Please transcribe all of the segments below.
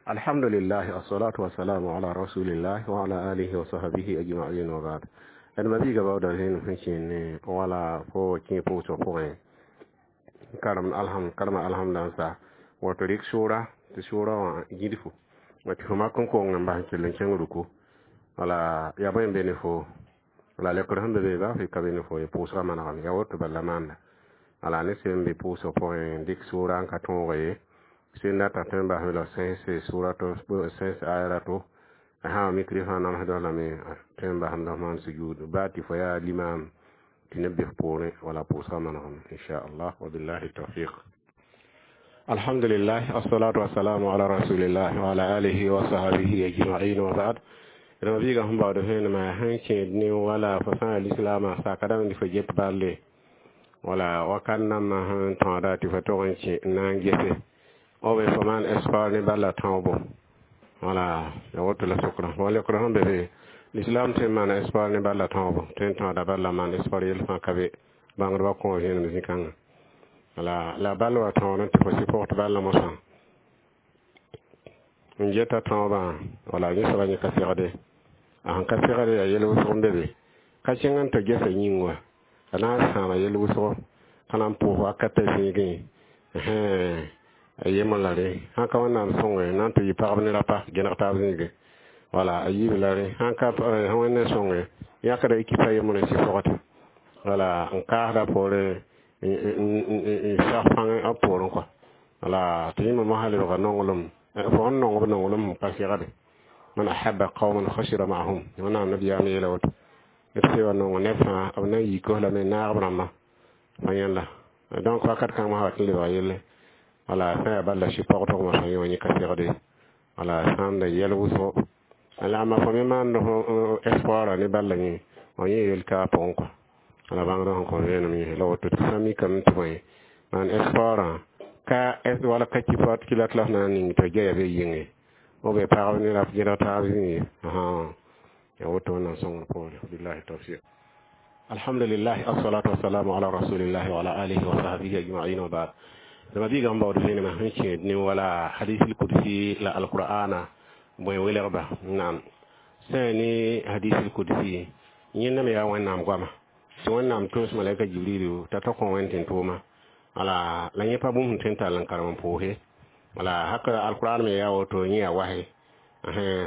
Alhamdulillah, assalatu wassalamu ala rasulillah wa ala alihi wa sahbihi ajma'in, wa ba'd. D ma-biiga baooda zẽenem sẽn kẽene wala fo kẽ pʋʋsg pʋgẽ karem alham karema alhamda n sa woto rɩk sʋʋra tɩ sʋʋra wã gĩdfo tɩ fo mak n kong n bas n kell n kẽng ruku. Wala yaa bõe n be ne fo la lekr sẽn be be baa fɩ ka be ne fo ye pʋʋsgã manegame yaa woto bala maanda. Wala ne sẽn be pʋʋsg pʋgẽ dɩk sʋʋra n ka tõoge ye sẽn data tõe n basme la sẽnse sʋʋra to sẽns aya rato a sã mikri fãa namsdã lame tõe n basemda f maan sujud baa tɩ fo yaa limaam tɩ neb be f poorẽ wala pʋʋsgã manegame, inchallah, wabillahi tawfiq. Alhamdulillah, assalatu wassalamu ala rasulillah wa ala alihi wa sahbihi ajma'in, wa ba'd. D ma biiga sẽn baood vẽenemã sẽn kẽed ne wala fo sã n lislaamã sakadame tɩ fo get balle wala wakat nambã sẽn tõoda tɩ fo tog n kẽ n na n gese o be fo maan espoir ne balla tãoobo wala ya woto la sokra wa lekra sẽn be be l'islam tõe n maana espoir ne balla tãoobo tõe n tõoda balla maan espoir yel fãa ka be bãngdbã kõ vẽenem zĩ-kãngã wala la ball wa tõod tɩ fo sɩpʋgd balla mosã n geta tãoobã wala yẽ soaba yẽ ka segde a sẽn ka segde yaa yel wʋsg n be be ka kẽng n tɩ gesa yĩng wa a na n sãama yel wʋsgo ka na n pʋʋs wakatã zĩigẽ a yembr la rẽ sãn ka Wẽnnaam sõnge na n tɩ yɩ pagb ne rapa gẽneg taab zĩigẽ wala a yiib la rẽ sãn ka Wẽnd sõnge yãkda ekipa yembr n sɩ wala n kaasda poorẽ n sag pãng b poorẽ kɔa wala tɩ yẽmb mosã lebga nonglem fo sẽn nong b nonglem n pa segde man ahabba qauman khashira ma'ahum Wẽnnaam nabiyaam yeela woto d sewa nong neb fãa b na n yik lame naag b rãmba fa yẽnda. Donc wakat kãng mosã wat n lebga yelle wala sã yaa bala sɩ-pɔgdg mosã yẽ wã yẽ ka segde wala sãamda yɛl wʋsgo la amma fo me maand espoir ne balla yẽ wã yẽ yel ka pʋgẽ kɔa wala bãngdã sẽn kõ vẽenem yẽ la woto tɩ sã mikame tɩ bõe maan espoir ka wala ka kɩ kɩlat la f na n ning tɩ gɛya be yɩnge o be pagb ne rap gẽdg taab zĩnge ya woto Wẽnnaam sõngr poore. Billahi tawfiq. Alhamdulillah, assalatu wassalamu ala rasulillahi wa ala alihi wa sahbihi ajma'in, wa ba'd. Dama biiga n baood vẽenemã sẽn kẽed ne wala hadis kudsi la alqur'ana bõe welgba naam sã ne hadis kudsi yẽnda me yaa Wẽnnaam goama tɩ Wẽnnaam tʋms malaika Jibrilu t'a ta kõ Wẽnd tɩ tʋʋma wala la yẽ pa bũmb sẽn tõe n tall n karem n pʋʋse wala haka alqur'an me yaa woto yẽ yaa wase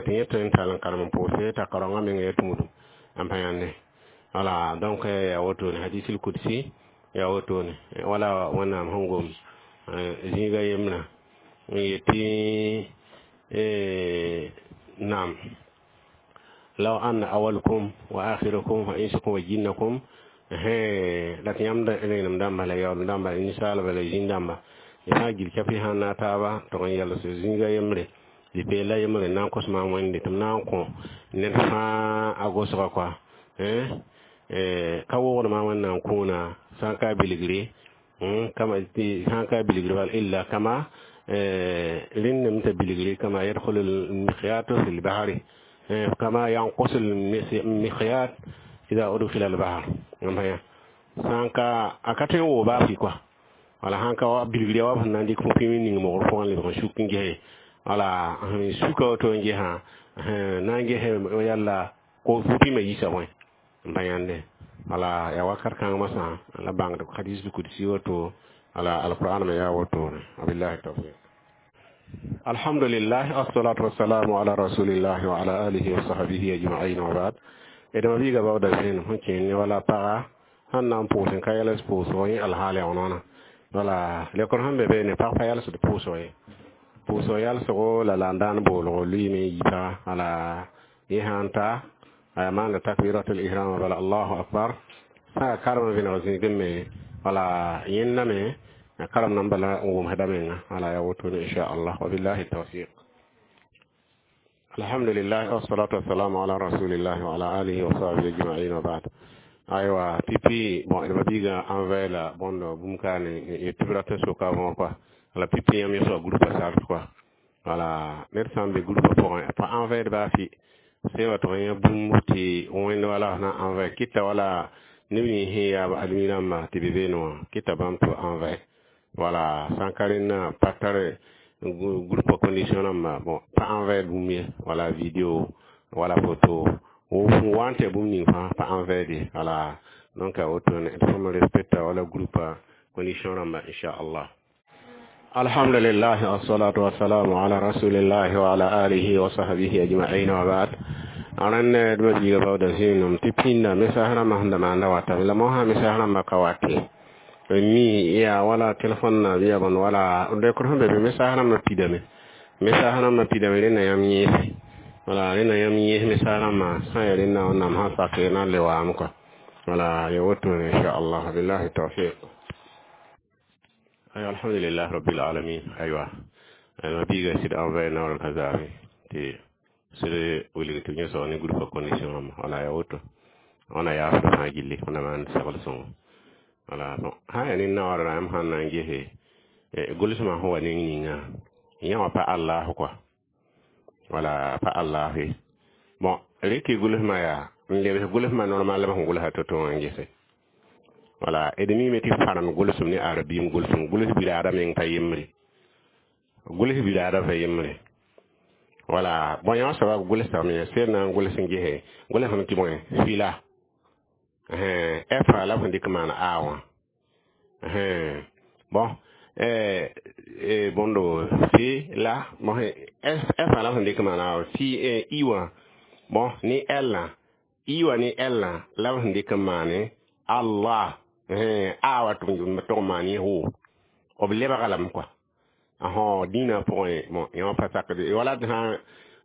tɩ yẽ tõe n tall n karem n pʋʋse t'a karoongã meng ya tũudum n pa yãnde wala. Donc yaa woto ne hadis kudsi yaa woto ne wala Wẽnnaam sẽn gom zĩiga yembrã n yetɩ naam law anna awalakum wa akhirakum wa insakum wa jinnakum la tɩ yãmb renem dãmba la yaoolem dãmba ninsaalba la zĩn dãmba y sã n gil kɛpɩ sãn na taaba tog n yɛls zĩiga yembre zĩ-peela yembre n na n kos maam Wẽnde tɩ m na n kõ ned fãa a gosga kɔa ka wogd maam Wẽnnaam kũuna sã n ka bilgre kama sãn ka bilgre bal illa kama rẽndame t'a bilgre kama yadkhulu lmikhyatu fi lbahri kama yanqusu lmikhyat ida udkhila lbahr sãn ka a ka tõe n woo baa fɩ kɔa wala sãn ka wa bilgre wa sẽn na n dɩk fo pĩm ning mogr pʋgẽ lebg n suk n gese wala suka woto n gesã na n gese yalla ko pĩmã yisa bõe n pa yãnde wala ya wakat kãng mosã la bãngd hadis kudsi woto wala alquran me yaa woto. Wabillahi tawfiq. Alhamdulillah, assalatu wassalamu ala rasulillahi wa ala alihi wa sahbihi ajma'in, wa ba'd. Dama biiga baooda vẽenem sẽn kẽen ne wala paga sẽn na n pʋʋs n ka yɛls pʋʋsgo yẽ alhaal yaa noona wala lekr sẽn be be ne pag pa yɛlsd pʋʋsgo ye pʋʋsg yɛlsgo la la n daan boolgo lʋɩɩme n yi paga wala yẽ sãn ta a maanda takbiratul ihram bala allahu akbar sã yaa karem vẽneg zĩigẽ me wala yẽnda me karem nan bala n wʋmsda menga wala yaa woto ne inchallah, wabillahi tawfiq. Alhamdulillah, wassalatu wassalamu ala rasulillahi wa ala alihi wa sahbihi ajma'in, wa ba'd. Aywa pipi bon d ma-biigã envers la bõnd bũmb kaane tɩ b rat n soka võor kɔa wala pipi yãmb yẽ soaba groupe sart kɔa wala ned sã n be groupe pʋgẽ pa envers baa fɩ sẽn wa tɩ yã bũmb tɩ Wẽnd wala na envers kɩta wala neb nins sẽn yaa admi rãmba tɩ be beene wã kɩta bãmb tɩ envers wala sã n ka rẽndã pa tar Groupe condition rãmba, bon, pa envoyer bũmb ye, wala video wala photo wa n tɩ bũmb ning fãa pa envoyer ye. Wala donc a wotone d fõm respecta wala groupe condition rãmba, inchallah. Alhamdulillah, wassalatu wassalamu ala rasulillah wa ala alihi wa sahbihi ajma'in wa ba'd. Rãnd d ma biiga baooda zĩinom tɩ pĩnda mesas rãmbã sẽn da maanda watame la mosã mesas rãmbã ka wate mi yaa wala telefon na bɩ ya bõnd wala rekd sẽn be be mesas rãmbã pidame, mesas rãmbã pidame. Rẽnna yãmb yẽese, wala rẽnna yãmb yẽes mesas rãmbã sã n yaa rẽnna Wẽnnaam sã sak na n le waame kɔa. Wala ya wotone, inchallah. Billahi tawfiq. Aywa, alhamdulillah rabbil alamin. Aywa, ma biiga sɩd envoyé naoor ka zaame tɩ sɩd wilg tɩ b yẽ ne groupe condition rãmba. Wala ya woto wãna yaasd fãa gilli wẽnna maan segl sõngo. Wala bon, sã n yaa ne naoor yãmb sãn na n gese gʋlsmã sẽn wa neng ninga yã wã pa Allah kɔa, wala pa Allah ye. Bon, rɩk gʋlsmã yaa n lebs gʋlsmã normal sẽn gʋlsa to-to wã n gese. Wala d miime tɩ farãnd gʋlsem ne arabiim gʋlsem gʋls biraada meng pa yembre, gʋls biraada pa yembre. Wala bõe yã soaba gʋlsame sel na n gʋls n gese gʋlsame tɩ bõe fila f la b sẽn dɩk maan a wã. Bon, bõndo fi la bon, f la b sẽn dɩk maan a fi i wã. Bon, ne l i wã ne l la b sẽn dɩk n maane Allah a wa tʋg maan yẽ b lebga lame kɔa. Ahõ, dĩinã pʋgẽ, bon, yõ pa sakd wala d sã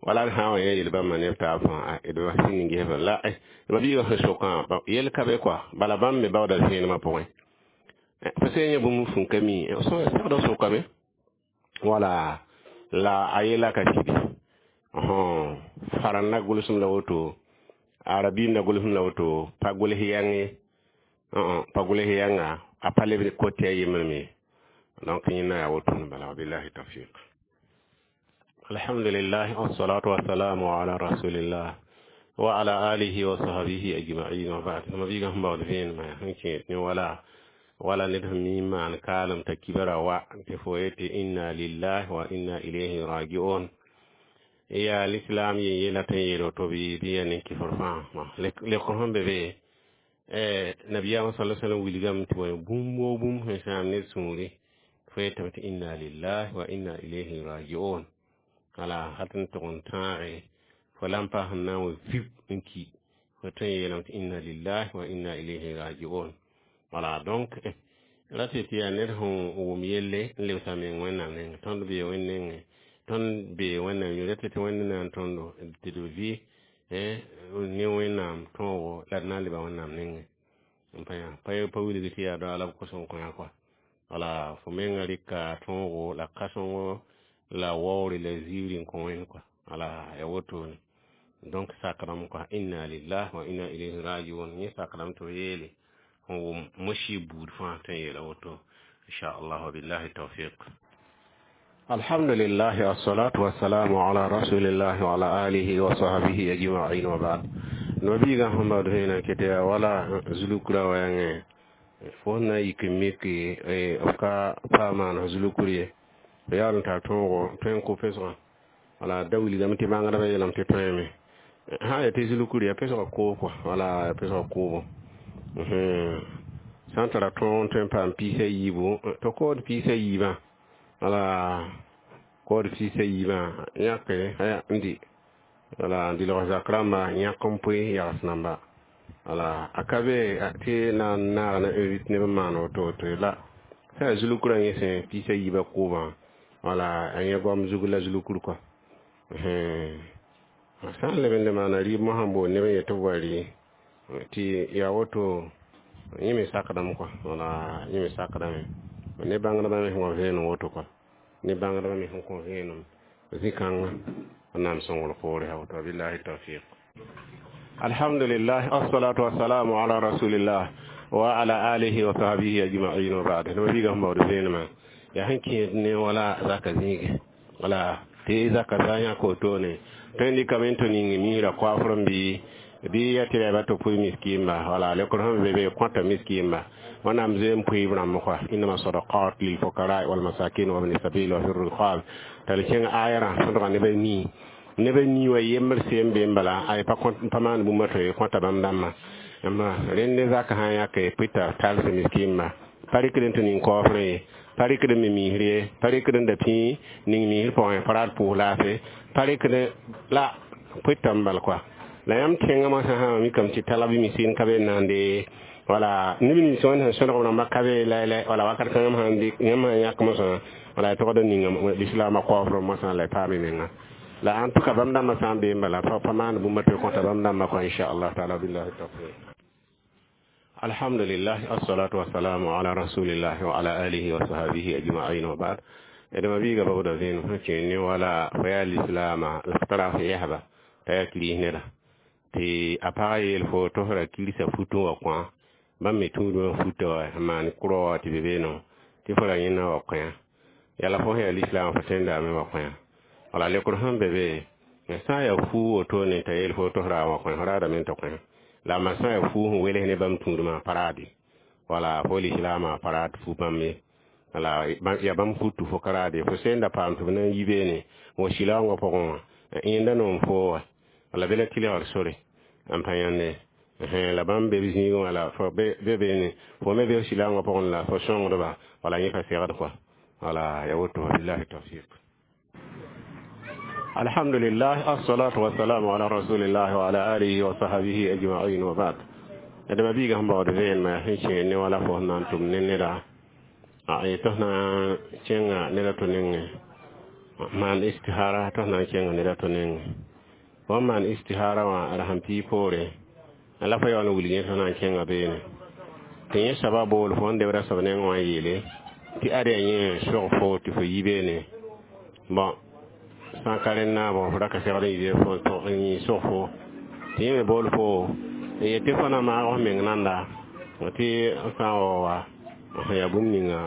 wala d sã n wa yẽ yel bãmba neb taab fãa d wa sĩnd n ges la ma biigã sẽn sokã yel ka be kɔa. Bala bãmb me baooda vẽenemã pʋgẽ fo sẽn yẽ bũmb fũn ka mi segd sokame wala la a yela ka sidi farãn na gʋlsem la woto, arabiim na gʋlsem la woto, pa gʋls yãng ye, pa gʋls yãnga a pa leb kote a yembre me. Donc yẽnda yaa wotone bala. Billahi tawfiq. Alhamdulillah, wassalatu wassalamu ala rasulillah wa ala alihi wa sahbihi ajma'in wa ba'd. Ma biiga sẽn baood vẽenemã sẽn kẽed ne wala wala ned sẽn mi n maan kaalem t'a kibra wa tɩ fo yetɩ inna lillahi wa inna ilayhi rajiun. Yaa l'islam yen yela tɩ n yeel woto bɩ bɩ ya nin-kɩfr fãa lekr sẽn be be nabiyaamã sala sallam wilgame tɩ bõe bũmb woo bũmb sẽn sãam ned sũuri fo yetame tɩ inna lillahi wa inna ilayhi rajiun. Wala hal tɩ n tʋg n tãage fo la n pa sẽn na n wa vib n ki fo tõe n yeelame tɩ inna lillahi wa inna ilayhi rajiun. Wala donc ra tɩ tɩ yaa ned sẽn wʋm yelle n lebsa meng Wẽnnaam nengẽ. Tõnd bee Wẽnd nengẽ, tõnd bee Wẽnnaam yũ tɩ tɩ Wẽnd na n tõndo tɩ d vɩ ne Wẽnnaam tõogo la d na n leba Wẽnnaam nengẽ n pa yã pa wilg tɩ yaa doa la b kos n kõ yã kɔa. Wala fo menga rɩka tõogo la kãsengo la waoore la ziiri n kõ Wẽnd kɔa. Wala ya wotone. Donc sakdame kɔa inna lillahi wa inna ilayhi rajiun. Yẽ sakdame tɩ b yeele sẽn wʋm mosi buud fãa tɩ n yeela woto, inchallah. Wabillahi tawfiq. Alhamdulillah, wassalatu wassalamu ala rasulillah wa ala alihi wa sahbihi ajma'in wa ba'd. No biiga sẽn baood vẽenã ket yaa wala zulukra wa yãngẽ fo na yik n mik b ka pa maan zulukur ye b yaool n tar tõogo tõe n kʋ pesgã. Wala da wilgame tɩ bãngdbã yeelame tɩ tõeme sã n yaa tɩ zulukur yaa pesgã koob kɔa. Wala yaa pesgã koobo sã n tara tõog n tõe n paam piis a yiibu tɩ kood piis a yiibã. Wala kood piis a yiibã yãke n dɩ wala n dɩlg zak rãmba yãk n poe yags namba. Wala a ka be tɩ na n naag na invite neb n maan woto woto la sã yaa zulukurã yẽ sẽ piis a yiibã koobã. Wala a yẽ goam zug la zulukur kɔa sã n leb n le maana rɩɩb mosã n boond neb n yet tɩ b wa rɩ tɩ yaa woto yẽ me sakdame kɔa. Wala yẽ me sakdame ne bãngdbã me sẽn wa vẽenem woto kɔa, ne bãngdbã me sẽn kõ vẽenem zĩ-kãngã Wẽnnaam sõngr poore ya woto. Billahi tawfiq. Alhamdulillah, assalatu wassalamu ala rasulillah wa ala alihi wa sahbihi ajma'in wa ba'd. No biiga sẽn baood vẽenemã yaa sẽn kẽed ne wala zaka zĩige wala tɩ zaka zã yãk wotone tõe n dɩkame n tɩ ning misrã koafr n bɩ Bɩ ya tɩ ba tɩ pʋɩ miskiimba, wala lekr sẽn be be kõta miskiimba. Wẽnnaam zoeem pʋɩɩb rãmb kɔa, innama sadaqat lilfukara walmasakin wa bni sabil wa fi riqab. T'a le kẽng ayarã sõdga neb a nii, neb a nii wa yembr seem be n bala ay pa maan bũmba tɩ kõta bãmb dãmbã. Rẽnd zak sã n yãke pʋɩta tals miskiimba, pa rɩkd n tɩ ning kaoofrẽ ye, pa rɩkd n me miisr ye, pa rɩkd n da pĩig ning miisr pʋgẽ, pa rat pʋʋs laafɩ, pa rɩkd la pʋɩta n bal kɔa. La yãmb tẽngã moasã sã mikame tɩ talb miskin ka be n naande, wala neb nins wẽnd sẽn sõdg rãmba ka be lɛ, wala wakat kãngã sãn dɩk yãmb sã yãk mosã, wala y togd n ninga lislaamã kaoofr mosã la y paam y menga. La en tout cas, bãmb dãmbã sã n bee n bala pa maan bũmba tɩ kõta bãmb dãmbã kɔa, inchallah taala. Billahi tawfiq. Alhamdulillah, assalatu wassalamu ala rasulillah wa ala alihi wa sahbihi ajma'in wa ba'd. Edma biiga babda zẽen sẽn kẽ ne wala fo yaa lislaama la f tara f yɛsba t'a yaa kiris neda tɩ a pagã yeel fo tɩ f ra kirsa futẽ wã kõa bãmb me tũudmã futa wa sẽn maan kʋrɔ wã tɩ be beeno tɩ fo ra yẽnna wa kõya yala fo sẽn yaa lislaam fo tẽndame wa kõya. Wala lekr sẽn be be sã n yaa fuu wotone t'a yeel fo tɩ f ra wa kõya, fo raadame tɩ kõya la ma sã n yaa fuu sẽn wels ne bãmb tũudmã pa raade, wala fo lislaamã pa raad fu bãmb ye, wala yaa bãmb fut tɩ fo ka raade. Fo sẽn da paam tɩ b na n yi beene wa silaoongã pʋgẽ wã yẽnda noom fo wa, wala be la tɩlgr sore n pa yãnde la bãmb be b zĩigẽ wala fo be beene fo me be silaoongã pʋgẽ la fo sõngdba, wala yẽ pa segd kɔa, wala ya woto. Billahi tawfiq. Alhamdulillah, assalatu wassalamu ala rasulillah wa ala alihi wa sahbihi ajma'in wa ba'd. Adama biiga sẽn baood vẽenemã sẽn kẽ ne wala fo sẽn na n tʋm ne neda a tɩ f na n kẽnga neda to nengẽ maan istihara, tɩ f na n kẽnga neda to nengẽ fo n maan istihara wã ra sẽn pii poore la fo yaool n wilg yẽ tɩ f na n kẽnga beene tɩ yẽ soaba bool fo n debra soab nengẽ wã yeele tɩ ad yaa yẽ sog fo tɩ fo yi beene. Bɔn sã n ka rẽnna, bɔn fo ra ka segd n yi fo n yĩ sog fo tɩ yẽ me bool fo n yet tɩ fo na maag f meng nanda tɩ sã n wa wa yaa bũmb ninga.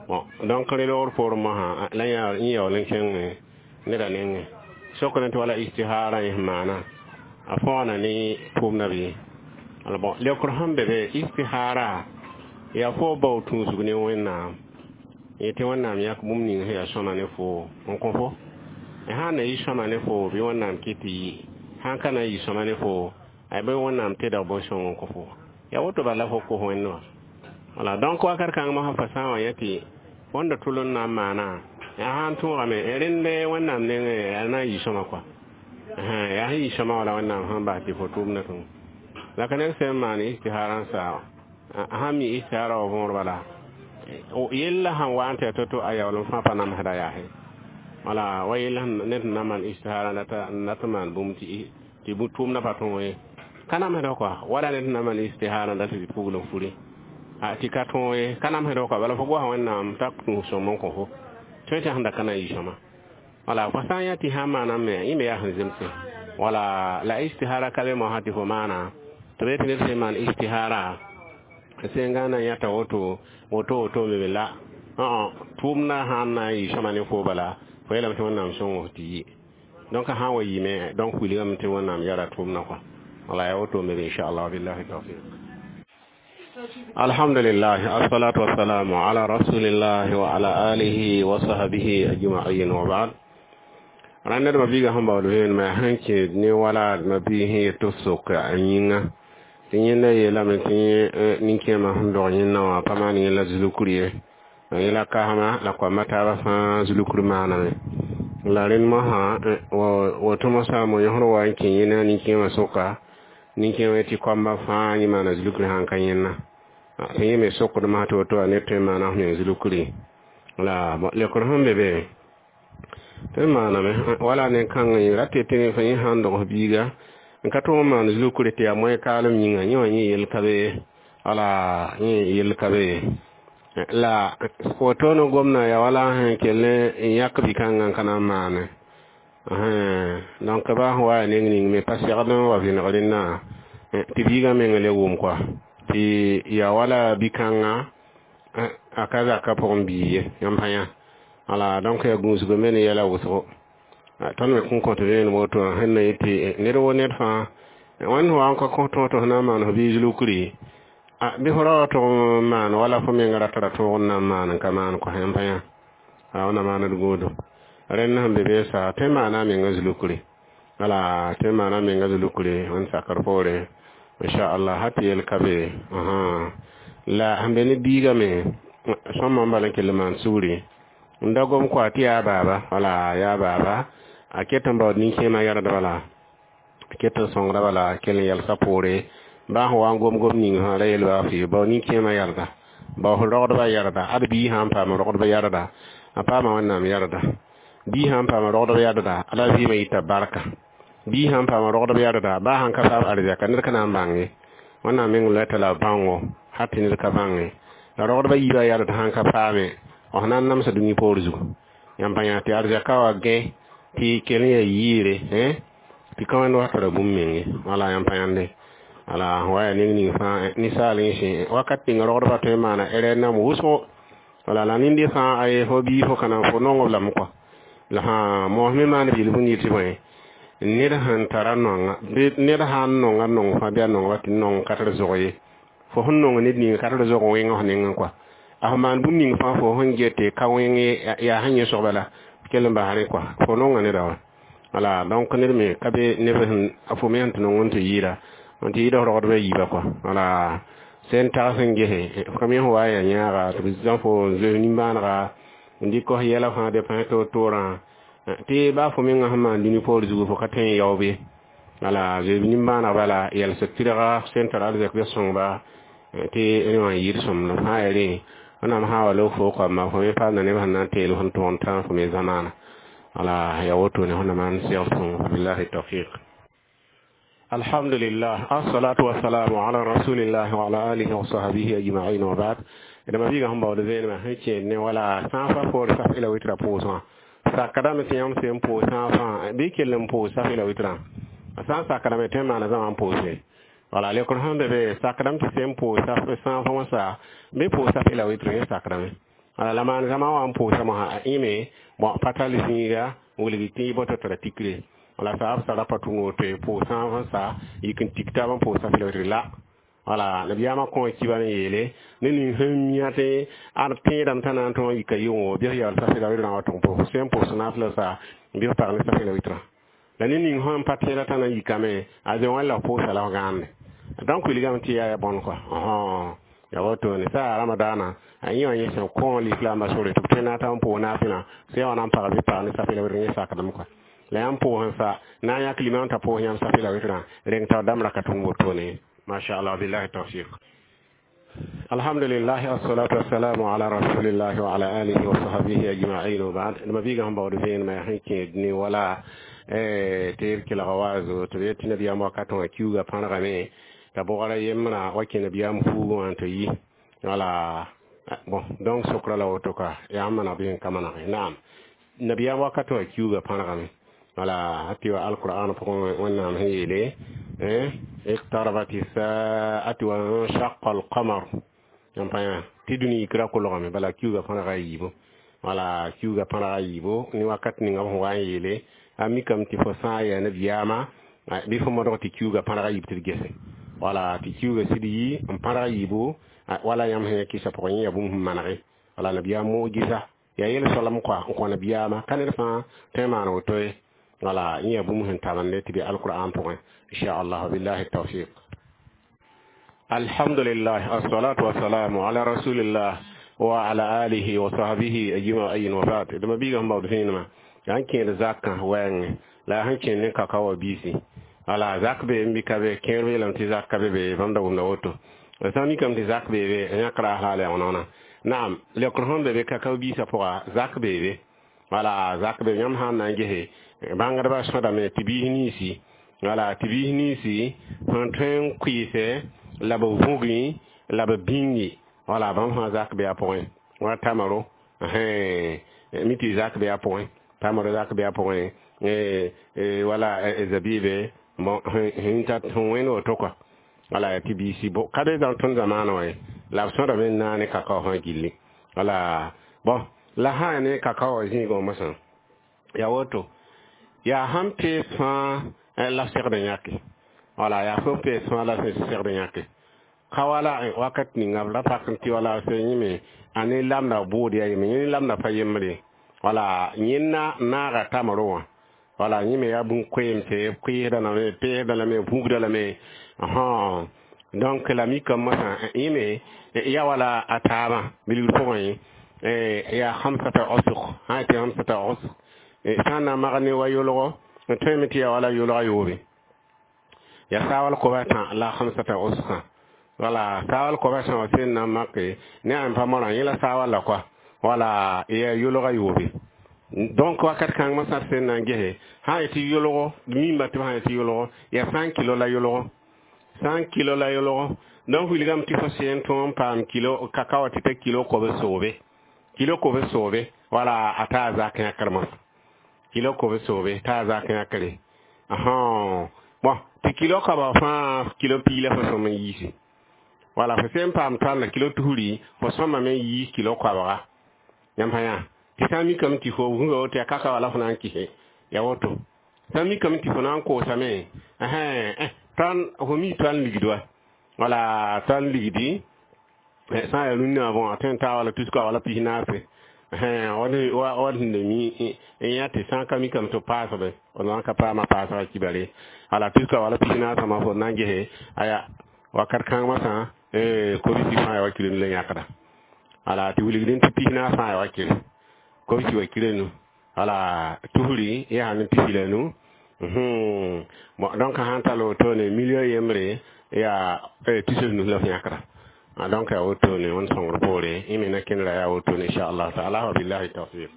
Bon, donc rẽ loogr poorẽ mosã la yẽ yaool n kẽng neda nengẽ sokd tɩ wala istihara yẽ sẽn maana a fõgna ne tʋʋmdã bɩ. Ala bon, leokr sẽn be be istihara yaa fo bao tũusg ne Wẽnnaam yetɩ Wẽnnaam yãk bũmb ning sẽn yaa sõma ne fo n kõ fo. Sã n na yɩ sõma ne fo bɩ Wẽnnaam kɩt tɩ yɩ, sãn ka na n yɩ sõma ne fo ay bɩ Wẽnnaam tɩdg bõn-sõng n kõ fo. Yaa woto bala fo kos Wẽnd wã. Wala donc wakat kãng mosã fa sã n wa yã tɩ wẽnda tʋl n na n maana yaa sã n tõogame rẽnd Wẽnnaam nengẽ yaa na n yɩ sõma kɔa, yaa sẽn yɩ sõma wala Wẽnnaam sẽn bas tɩ fo tʋʋmdã tõe la ka ned sẽn maan istihara n saa sãn mi istihara wa võor bala yella sãn wa n tɩ ya to-to a yaool n fãa pa namsda yaase. Wala wa yell ned sẽn na maan istihara n dat n maan bũmb tɩ tʋʋmdã pa tõog ye, ka namsda kɔa, wala ned sẽn na maan istihara n dat tɩ pugl n furi tɩ ka tõog ye, ka namsda kɔa. Bala fo goasa Wẽnnaam t'a tũus sõm n kõ fo tõe tɩ sẽn da ka na n yɩ sõma. Wala fo sã n yã tɩ sã n maaname yẽ me yaa sẽn zemse. Wala la istihara ka be mosã tɩ fo maana tɩ b yetɩ ned sẽn maan istihara sẽn gãna yãta woto woto woto me la tʋʋmdã sãn na n yɩ sõma ne fo bala fo yeelame tɩ Wẽnnaam sõng tɩ yɩ. Donc sã n wa yɩme, donc wilgame tɩ Wẽnnaam yara tʋʋmdã kɔa. Wala ya woto me inchallah. Billahi tawfiq. Alhamdulillah, assalatu wassalamu ala rasulillah wa ala alihi wa sahbihi ajma'in wa ba'd. Rãnd ma biiga sẽn baood vẽenemã sẽn kẽ ne wala ma biig sẽn yet tɩ sok a yĩnga tɩ yẽnda yeelame tɩ nin-kẽemã sẽn dog yẽnna wã pa maan yẽ la zulukr ye, yẽ la kasma la koamba taabã fãa zulukr maaname. La rẽnd mosã woto mosã mo yõsd wa n kẽ yẽna nin-kẽemã soka nin-kẽemã tɩ koamba fãa yẽ maana zulukr sãn ka yẽnna tɩ yẽ me sokd mosã tɩ woto a ned tõe n maana f meng zulukri. La lekr sẽn be be tõe n maaname wala nen-kãng ra tɩ tɩ yẽ sãn dog f biiga n ka tõog n maan zulukre tɩ yaa moẽ kaalem yĩnga yẽ wã yẽ yell ka be, wala yẽ yell ka be. La woto ne gomna ya wala sẽn kell n yãk bi-kãngã n ka na n maane. Donc ba sẽn wa neng ning me pa segd n wa vẽneg rẽndã tɩ biigã meng le wʋm kɔa tɩ yaa wala bi-kãngã a ka zaka pʋgẽ bii ye yãmb pa yã. Wala donc yaa gũusg me ne yɛla wʋsgo. Tõnd me kõn kõt vẽenem woto sẽn na yetɩ ned wo ned fãa Wẽnd wa n ka kõ tõog tɩ f na n maan f biig lukri, bɩ fo ra wa tʋg n maan wala fo menga ra tara tõog n na n maan n ka maan kõ yãmb pa yã. A wẽnna maand gũudu. Rẽnd sẽn be beesa tõe n maana a menga zulukri. Wala tõe n maana a menga zulukri wẽnd sakr poore. Inchallah hal tɩ yel ka be. La sẽn be ne biigã me sõma n bala n kell n maan sugri n da gom kɔa tɩ yaa baaba, wala yaa baaba a ket n baood nin-kẽemã yɛrd bala, a ket n sõngda bala, kell n yɛlsa poore baa sẽn wa n gom-gom ning fãa ra yel baa fɩ bao nin-kẽemã yɛrda, bao f rogdbã yɛrda. Ad bii sã n paam rogdb yɛrda, a paama Wẽnnaam yɛrda. Bii sã n paam rogdb yɛrda, ala vɩɩmã yita barka. Bii sã n paam rogdb yɛrda, baa sãn ka paam arzɛka, ned ka na n bãng ye. Wẽnnaam meng loɛta la bãngo hal tɩ ned ka bãnge. La rogdbã yiibã yɛrd sãn ka paame, f na n namsa dũni poor zugu. Yãmb pa yã tɩ arzɛka wa gẽ tɩ kell n yaa yiire, tɩ ka wẽnd wa tara bũmb menge. Wala yãmb pa yãnde. Wala wa yaa neng ning fãa ninsaal yẽ wakat ninga rogdbã tõe n maana erɛr nam wʋsgo. Wala la ninde fãa aye fo bii fo kana fo nong b lame kɔa. La sã moos me maan bil bũmb yɩ tɩ bõe, ned sẽn tara nonga, ned sã n nonga nong fãa bɩ a nongba tɩ nong ka tɩ zog ye. Fo sẽn nong ned ninga ka tɩ zog wẽng f nengẽ kɔa. A fo maan bũmb ning fãa fo sẽn get ka wẽng yaa sẽn yẽ soaba la kell n bas rẽ kɔa. Fo nonga neda wã. Wala donc ned me ka be neb sẽn fo me sẽn tɩ nong n tɩ yɩɩda n tɩ yɩɩda f rogdbã yiibã kɔa. Wala sẽn tags n gese f ka me sẽn wa n yaa yãaga tɩ b zã fo n zoes nimbãanega n dɩk f yɛla fãa de pãs toor-toorã tɩ baa fo menga sẽn maan dũni poor zugu fo ka tõe n yaoog ye. Wala zoeeb nimbãaneg bala yɛls tɩrga sẽn tar arzɛk bɩ sõngba tɩ rẽ wã n yɩɩd sõmblem sã n yaa rẽ Wẽnnaam sã n wa loog fo koamã fo me paamda neb sẽn na n teel fõn tõog n tãag fo me zamaana. Wala yaa wotone wẽnnaam maan segl sõngo. Billahi tawfiq. Alhamdulillah, assalatu wassalamu ala rasulillah wa ala alihi wa sahbihi ajma'in wa ba'd. Dama biiga sẽn baood vẽenemã sẽn kẽed ne wala sãafã poor saf ila witra pʋʋsgã. Sakdame tɩ yãmb sẽn pʋʋs sãafã bɩ kell n pʋʋs saf ila witrã. A sã n sakdame tõe n maana zãma n pʋʋse. Wala lekr sẽn be be sakdame tɩ sẽn pʋʋs sãafã wã sa bɩ pʋʋs saf ila witr yẽ sakdame. Wala la maan zãma wã n pʋʋsa mosã a ĩme bon pa tall zĩiga wilg tɩ boto tara tikre. Wala sa b sara pa tʋng woto pʋʋs sãafã sa yik n tik taab n pʋʋs saf ila witr la. Wala nabiyaamã kõ kiba n yeele ne ning sẽn mia tɩ ad tẽedame t'a na n tõog yika yʋngo bɩ f yaool saf ila witrã wa tʋg pʋʋs sẽn pʋʋs naafla sa bɩ f pag ne saf ila witrã. La ne ning sẽn pa tẽeda t'a na n yikame a zoe wẽn la f pʋʋsa la f gãande. Donc wilgame tɩ yaa ya bõn kɔa. Ya wotone sa ramadaana a yẽ wã yẽ sẽn kõ lislaambã sore tɩ b tõe na n ta n pʋʋs naafɩlã sẽn wa na n pag bɩ pag ne saf ila witr yẽ sakdame kɔa. La yãmb pʋʋs n sa na n yãk limam t'a pʋʋs yãmb saf ila witrã reng tao dãmb ra ka tʋng wotone. ما شاء الله بالله التوفيق. الحمد لله والصلاة والسلام على رسول الله وعلى آله وصحبه أجمعين وبعد. لما بيجا هم بعد فين ما يحكي دني ولا تير كلا غوازو تبيت نبي أم وقتهم كيوغا بانغامي تبغى يمنا وكي نبي أم فوغو أنتي ولا bon donc sokra la wotoka ya amana bien kamana. نعم نبي أم وقتهم كيوغا بانغامي ولا حتى القرآن فقون ونعم هي ليه اقتربت الساعة وانشق القمر yãmb tɩ dũni yikra kolgame bala kiuugã pãrga yiibu. Wala kiuugã pãrga yiibu ne wakat ninga b sẽn wa n yeele a mikame tɩ fo sã n yaa nabiyaamã bɩ fo modg tɩ kiuugã pãrga yiib tɩ d gese. Wala tɩ kiuugã sɩd yi n pãrg yiibu wala yãmb sẽn ya kɩsa pʋgẽ yẽ yaa bũmb sẽn manege. Wala nabiyaam mugisa yaa yel soalem kɔa n kõ nabiyaamã ka ned fãa tõe n maan woto ye. Wala yẽ yaa bũmb sẽn tabende tɩ bɩ alqur'an pʋgẽ inchallah billahi tawfiq. Alhamdulillah assalatu wassalamu ala rasulillah wa ala alihi wa sahbihi ajma'in wa ba'd. Dama biiga sẽn baood vẽenemã yaa n kẽed zakã wɛɛngẽ la yaa sẽn kẽnd ne kakao wa biisi. Wala zak be n bɩ ka be kẽer yeelame tɩ zak ka be be bãmb da wʋmda woto. La sã n mikame tɩ zak bee be n yãk raas la a yaoonã. Naam lekr sẽn be be kakao biisã pʋga zak bee be. Wala zak be yãmb sã n na n gese bãngdbã sõdame tɩ biis ninsi. Wala tɩ biis ninsi sẽn tõe n kʋɩɩsɛ la b vũgi la b bĩngi. Wala bãmb fãa zak be a pʋgẽ wa tamaro mi tɩ zak be a pʋgẽ tamaro zak be a pʋgẽ wala zabibe bon sẽn tat sẽn wẽnd woto kɔa. Wala tɩ biisi ka be zãng tõnd zamaana wã ye la b sõdame n naane kakao fãa gilli. Wala bon la sã n ne kakao wã zĩigã mosã yaa woto yaa sãn pees fãa la segd n yãke. Wala yaa fo pees fãa la sẽn segd yãke ka wala wakat ninga b ra pak n tɩ wala sẽn yẽme a ne lamda bʋʋd yaa yeme, yẽ lamda pa yembre. Wala yẽnna naaga tamro wã, wala yẽme yaa bũn-koeemse, koeesda lame, peesda lame, vugda lame. Donc la mikame mosã yẽme ya wala a taabã bilgr pʋgẽ yaa hamsata osg sã tɩ hamsata osg sã n na mag ne wa yolgo n tõeme tɩ yaa wala yolga yoobe, yaa saawal koba tã la hamsata osgã. Wala saawal koba tã wã sẽn na n make ne a pa morã, yẽ la saawal la koa, wala yaa yolga yoobe. Donc wakat kãng mosã sẽn na n gese sã n tɩ yolgo mimba tɩ b sã tɩ yolgo yaa 100 kilo la yolgo, 100 kilo la yolgo. Donc wilgame tɩ fo sẽn tõog n paam kilo kakao tɩ ta kilo kob soobe, kilo kob soobe, wala a taa zak yãkr mosã, kilo kob soobe taa zak yãkre. Bon, tɩ kilo koaba fãa kilo piig la fo sõm n yiisi. Wala fo sẽn paam tõanda kilo tusri, fo sõmame n yiis kilo koabga. Yãmb sã yã tɩ sã n mikame tɩ fo gũga woto yaa kaka wala fo na n kɩse ya woto, sã n mikame tɩ fo na n koosame tõnd fo mi tõnd ligd wa, wala tõnd ligdi sã n yaa rũnnã, bon, a tõe n taa wala tuska wala pis naase wad sẽn da mi n yã tɩ sã n ka mikame tɩ b paasbe, d na n ka paama paasga kibare. Wala tuska wala pis naasã ma fo na n gese aya wakat kãng masã kobisi fãa ya wa kilo la yãkda. Wala tɩ wilgdẽ tɩ pis naas fãa ya wa kɩre kobisi wa kilo nu, wala tusri yaa ne pisi la nu. Bon, donc sãn tall wotone million yembre yaa tus nu la f yãkda. Donc yaa wotone wẽnd sõngr poore yẽ me na kẽndra yaa wotone, inchallah taala. Wa billahi tawfiq.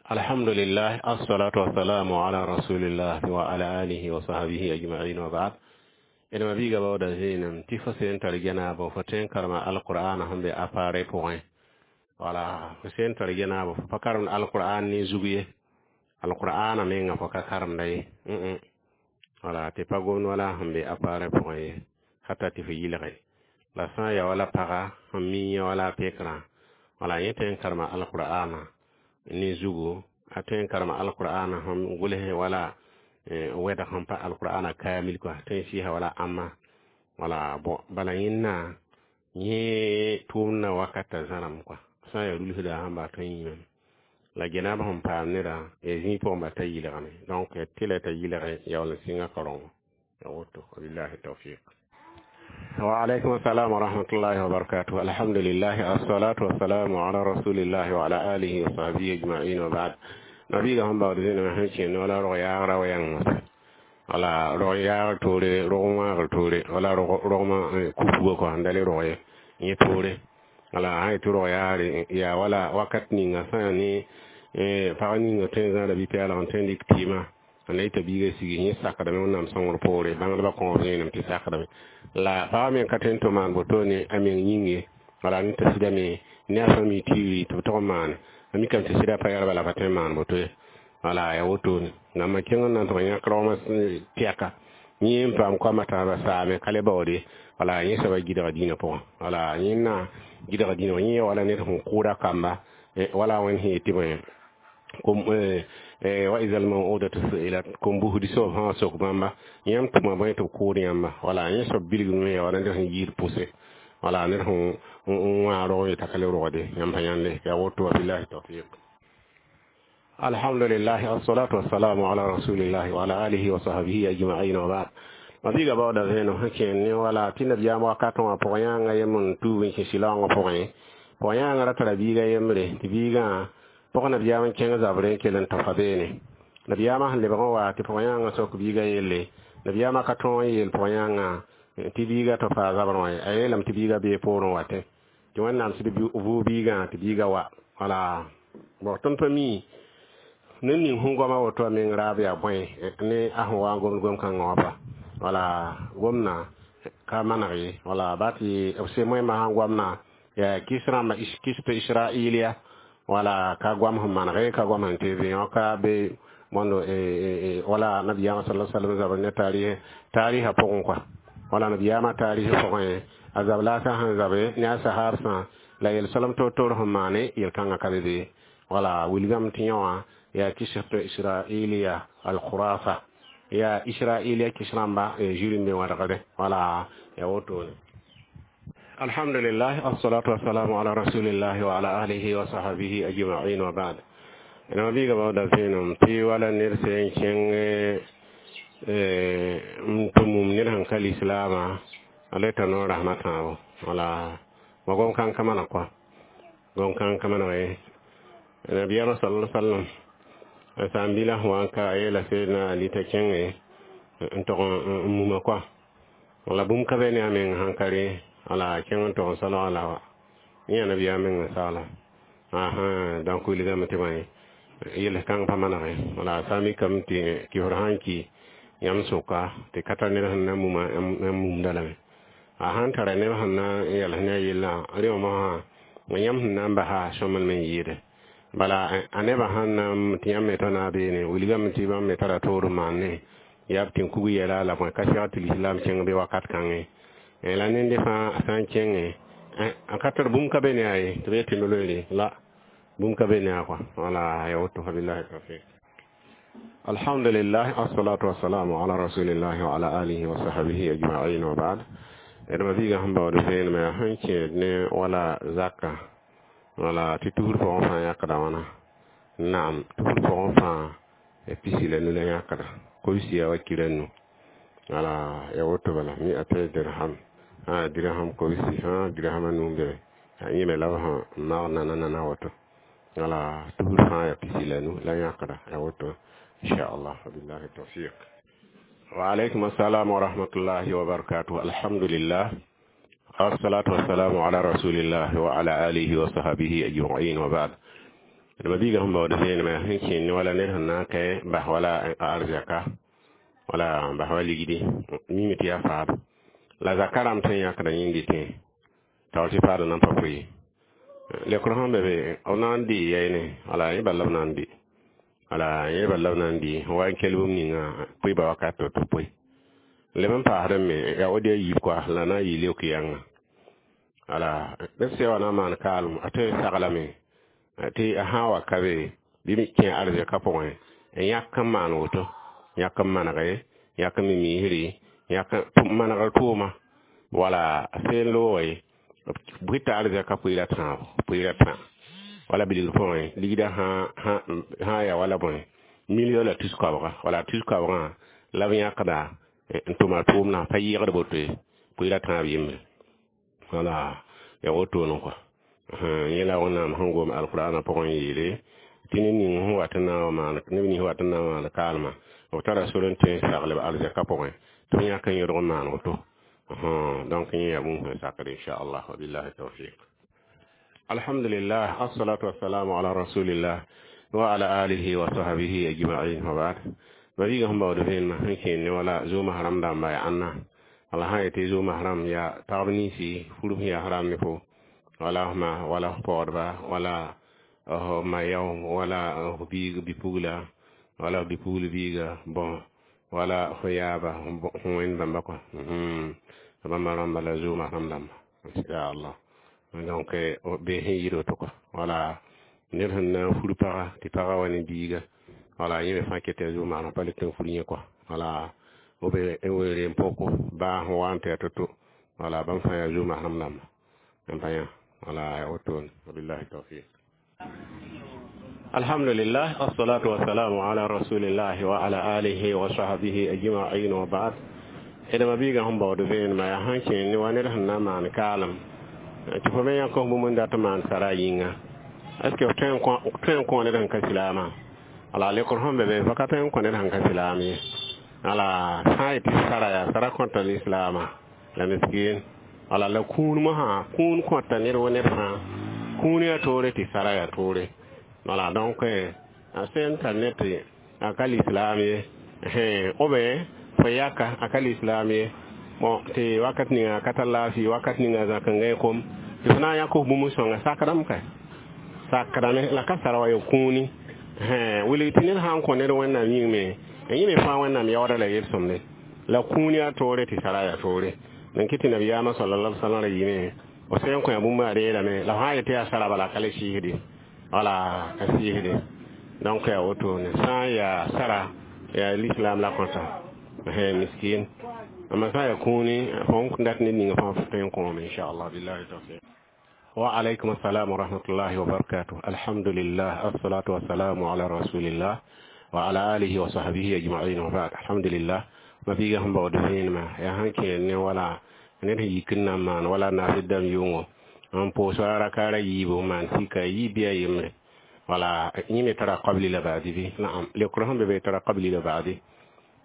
Alhamdulillah, assalatu wassalamu ala rasulillah wa ala alihi wa sahbihi ajma'in, wa ba'd. D ma biiga baooda zẽenem tɩ fo sẽn tar genaabo, fo tõe n karema alqur'ana sẽn be appareil pʋgẽ. Wala fo sẽn tar genaabo, fo pa karemd alqur'an ne zug ye, alqur'ana menga fo ka karemda ye, wala tɩ pa gomd wala sẽn be appareil pʋgẽ ye, hata tɩ fo yɩlge la sã n ya wala paga sẽn mi yẽ wala a pekrã. Wala yẽ tõe n karema alqur'ana ne zugu, a tõe n karema alqur'ana sẽn gʋls wala wɛdg sẽn pa alqur'ana kaamil kɔa, tõe n sɩɩsa wala ãmma. Wala bon, bala yẽnna yẽ tʋʋmdã wakata zãrame kɔa, sã n yaa rulsda sẽn ba tõe n yĩmame la genaab sẽn paam neda ya zĩig pʋgẽ ba ta yɩlgame. Donc tɩ la t'a yɩlge yaool n sɩnga karongo ya woto. Wabillahi tawfiq. Wa alaikum assalam wa rahmatullahi wa barakatuh. Alhamdulillah, assalatu wassalamu ala rasulillahi wa ala alihi wa sahbihi ajma'in, wa ba'd. Nabiga sẽn baood zẽnema sẽn kẽnd wala rog yaagra wa yãng mosã, wala rog yaagr toore, rog wãagr toore, wala rogmã kufuga kɔa sẽn da le rog ye yẽ toore. Wala sã yetɩ rog yaagre yaa wala wakat ninga sã yaa ne pag ninga tõe n zãada bi-pɛɛlg n tõe n dɩk tɩɩmã n la yeta biiga sigi, yẽ sakdame Wẽnnaam sõngr poore, bãngdbã kõob zẽenem tɩ sakdame la pagã me ka tõe n tɩ maan wotone a meng yĩng ye. Wala ne t'a sɩdame ne a famille tiiri tɩ b tog n maane, a mikame tɩ sɩda pa yɛlba la pa tõe n maan woto ye. Wala ya wotone namba kẽng n na n tʋg yãk rogmã tɛka yẽ n paam koamã taaba saame ka le baoode. Wala yẽ soaba gɩdga dĩinã pʋgẽ, wala yẽnna gɩdga dĩinã wã yẽ wala ned sẽn kʋʋda kamba, wala wẽnd sẽn yetɩ bõe kom wa izal mawudatu su'ilat, kom busdi soab sã wa sok bãmba yãmb tʋma bõe tɩ b kʋʋd yãmba. Wala yẽ soab bilgme ya wala ned sẽn yiid pʋse, wala ned sẽn wã rog yeta ka le rogde. Yãmb sã yãnde ya woto. Wa billahi tawfiq. Alhamdulillah, assalatu wassalamu ala rasulillahi wa ala alihi wa sahbihi ajma'in, wa ba'd. Mabiga baooda zẽenem sẽn kẽnd ne wala tɩ nabiyaam wakatẽ wã pʋg-yãangã yem n tuub n kẽ sɩlaoongã pʋgẽ. Pʋg-yãangã ra tara biiga yembre, tɩ biigã pʋg nabiyaam n kẽng zabrẽ n kell n tafa beene. Nabiyaamã sẽn lebg n wa tɩ pʋg-yãangã sok biigã yelle, nabiyaamã ka tõog n yeel pʋg-yãangã tɩ biigã tɩ faa zabrẽ wã ye, a yeelame tɩ biigã bee poorẽ watẽ tɩ Wẽnnaam sɩd vʋʋg biigã tɩ biigã wa. Wala bon, tõnd pa mi ned ning sẽn goama woto a meng raab yaa bõe ne a sẽn wa n gomd gom-kãngã wã pa. Wala gomna ka maneg ye, wala ba tɩ b sem wẽmã sãn goamna yaa kis rãmba kis tɩ israiliya, wala ka goam sẽn manege, ka goam sẽn tɩ yõka be mondo wala nabiyaamã sala sallam zabr ne tariha pʋgẽ kɔa. Wala nabiyaamã tarihi pʋgẽ a zab la a sã sẽn zabe ne a sahaabsã la yel-solem toor-toor sẽn maane yel-kãngã ka be be. Wala wilgame tɩ yẽ wã yaa kisg tɩ israiliya alkhurafa. Yaa israiliya kis rãmba zĩr n be wãdgde, wala ya wotone. Alhamdulillah, assalatu wassalamu ala rasulillahi wa ala alihi wa sahbihi ajma'in wa ba'd. Ẽna biiga baooda vẽenem tɩ wala ned sẽn kẽng n tɩ mum ned sẽn ka lislaamã a le t'a noor rasmã tãabo, wala wa gom kãng ka maneg kɔa, gom kãng ka maneg ye. Nabiyaamã sala sallam a saam-bila sẽn wa n ka, a yeela Seedna Ali t'a kẽnge n tog n muma kɔa, wala bũmb ka be ne a meng sãn ka rẽ, wala kẽng n tog n solga la wa yẽ yaa nabiyaam meng n sagla ãsã. Donc wilgame tɩ bõe, yels kãng pa manege, wala sã n mikame tɩ kɩsd sãn ki yãmb sʋka tɩ ka tar ned sẽn na muma, yãmb mumda lame. A sãn tara neb sẽn na n yals ne a yellã, rẽ wã mosã yãmb sẽn na n basa sõmblem n yɩɩde. Bala a nebã sãn na n tɩ yãmb me tao na beene, wilgame tɩ bãmb me tara toor n maan ne yaa b tɩ kug yɛla la bõe ka segd tɩ lislaam kẽng be wakat kãngẽ. La nende fãa a sã n kẽngẽ, a ka tar bũmb ka be ne a ye tɩ b yetɩ no-loeere la bũmb ka be ne a kɔa, wala ya woto. Wabillahi tawfiq. Alhamdulillah, assalatu wassalamu ala rasulillahi wa ala alihi wa sahbihi ajma'in wa ba'd. D ma biiga sẽn baood vẽenemã yaa sẽn kẽed ne wala zaka, wala tɩ tusr pʋgẽ fãa yãkda wãna. Naam, tusr pʋgẽ fãa 15 la yãkda, kobsi wa kira nu, wala ya woto. Bala mi a tɩ dirham a dirham kobsi fãa dirham a nu n be yẽ me la b sẽn mag nana nana woto, wala tusr fãa yaa 15 la yãkda ya woto, inchallah. Wabillahi tawfiq. Wa alaykum assalam wa rahmatullahi wa barakatuh. Alhamdulillah, assalatu wassalamu ala rasulillah wa ala alihi wa sahbihi ajma'in wa ba'd. D ma biiga sẽn baood vẽenemã sẽn kẽnd ne wala ned sẽn na n kɛ bas wala arzɛka wala bas wa ligdi mime tɩ yaa faab la zaka rãmb tõe n yãkda yĩng tẽ taoor tɩ paada nan pa pʋɩ lekr sẽn be be b na n dɩ yɛɛne, wala yẽ bala b na n dɩ, wala yẽ bala b na n dɩ wa n kell bũmb ninga pʋɩba wakat to tɩ pʋɩ leb n paasd me yaa wod yaa yiib kɔa la na n yɩ leok yãnga, wala neb sã wa na n maan kaalem a tõe n saglame tɩ a sã n wa ka be bɩ kẽ arzɛka pʋgẽ n yãk n maan woto, yãk n manege, yãk n mi miisri, yãk n manegr tʋʋma, wala a seen looge bʋɩ t'a arzɛka pʋɩɩra tãabo, pʋɩɩra tã wala bilgr pʋgẽ ligdã sã yaa wala bõe million la tus koabga, wala tus koabgã la b yãkda n tʋma tʋʋmdã pa yɩɩgd boto ye, pʋɩɩra tãab yembre, wala ya wotone kɔa. Yẽ la Wẽnnaam sẽn gom alqur'ana pʋgẽ n yeele tɩ ned ning sẽn wat n na n wa maan, neb nins wat n na n maan kaalmã, b tara sor n tõe n saglb arzɛka pʋgẽ tɩ b yãk n yõdg n maan woto. Donc yẽ yaa bũmb sẽn sakd, inchallah. Wabillahi tawfiq. Alhamdulillah, assalatu wassalamu ala rasulillah wa ala alihi wa sahbihi ajma'in wa ba'd. Ma biiga sẽn baood vẽenemã sẽn kẽend ne wala zoomã haram dãmba yaa ãnna, wala sã n yetɩ zoomã haram yaa pagb ninsi furb sẽn yaa haram ne fo, wala f ma, wala f paoodba, wala f ma yao, wala f biig bi-pugla, wala f bi-pugl biiga, bõn wala f yaaba sẽn wẽnd bãmba kɔa bãmba rãmba la zoomã haram dãmba, inchallah. Donc be sẽn yɩɩd woto kɔa, wala ned sẽn na n fur paga tɩ paga wa ne biiga, wala yẽ me fãa ket yaa zoomã haram pa le tɩ n fur yẽ kɔa, wala b weere n poko baa sẽn wa n tɩ yaa to-to, wala bãmb fãa yaa zoomã haram dãmba n pa yã, wala ya wotone. Wabillahi tawfiq. Alhamdulillah, assalatu wassalamu ala rasulillahi wa ala alihi wa sahbihi ajma'in wa ba'd. D ma biiga sẽn baood vẽenemã yaa sẽn kẽend ne wa ned sẽn na n maan kaalem tɩ fo me yãk f bũmb n dat n maan sara yĩnga, est ce que f tõe n kõ ned sẽn ka silaamã? Wala lekr sẽn be be fa ka tõe n kõ ned sẽn ka silaam ye, wala sã n yetɩ sara yaa sara kõta lislaamã la miskin, wala la kũun mosã kũun kõta ned wo ned fãa kũun yaa toore tɩ sara yaa toore, wala. Donc a sẽn tar ned tɩ a ka lislaam ye ou bien fo yaka a ka lislaam ye, bon, tɩ wakat ninga a ka tar laafɩ, wakat ninga zãk n gãe kom tɩ fo na n yãk f bũmb sõnga sakdame ka sakdame la ka sara wa ya kũuni wilg tɩ ned sã n kõ ned Wẽnnaam yĩng me yẽ me fãa Wẽnnaam yaooda la yel-sõmde la kũun yaa toore tɩ sara yaa toore. D kɩ tɩ nabiyaamã sallallahu alaihi wasallam ra yɩme b sẽn kõ yaa bũmb a reelame la f sã n yetɩ yaa sara bala ka le sɩɩsde, wala ka sɩɩsde. Donc yaa wotone sã n yaa sara. Yaa lislaam la kõta miskin. Amma sã n yaa kũuni, fõn dat ned ninga fãa f tõe n kõome, inchallah. Billahi tawfiq. Wa alaykum assalam wa rahmatullahi wa barakatuh. Alhamdulillah, assalatu wassalamu ala rasulillah wa ala alihi wa sahbihi ajma'in, wa ba'd. Alhamdulillah, ma biiga sẽn baood vẽenemã yaa sẽn kẽer ne wala ned sẽn yik n na n maan wala naasd dãmb yʋngo n pʋʋs rakaara yiibu n maan sika yiib bɩ a yembre wala yẽ me tara qabli la ba'di bɩ naam leokr sẽn be be tara qabli la ba'di.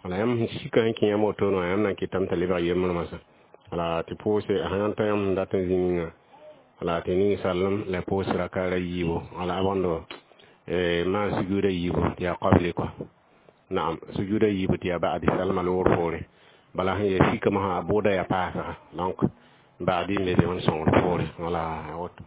Wala yãmb sẽn sika sẽn kẽ yãmb wotone wã, yãmb na n kɩtame t'a lebg yembr masã wala tɩ pʋʋse sã n ta yãmb sẽn dat n zĩ ninga wala tɩ ning sallem la pʋʋs rakaara yiibu wala a bõndo maan sujuuda yiibu tɩ yaa qabli kɔa. Naam, sujuuda yiibu tɩ yaa ba'di salma loor poore. Bala sẽn yaa sikame sã, a bʋʋda yaa paasga, donc ba'di n be be wẽnd sõngr poore wala woto.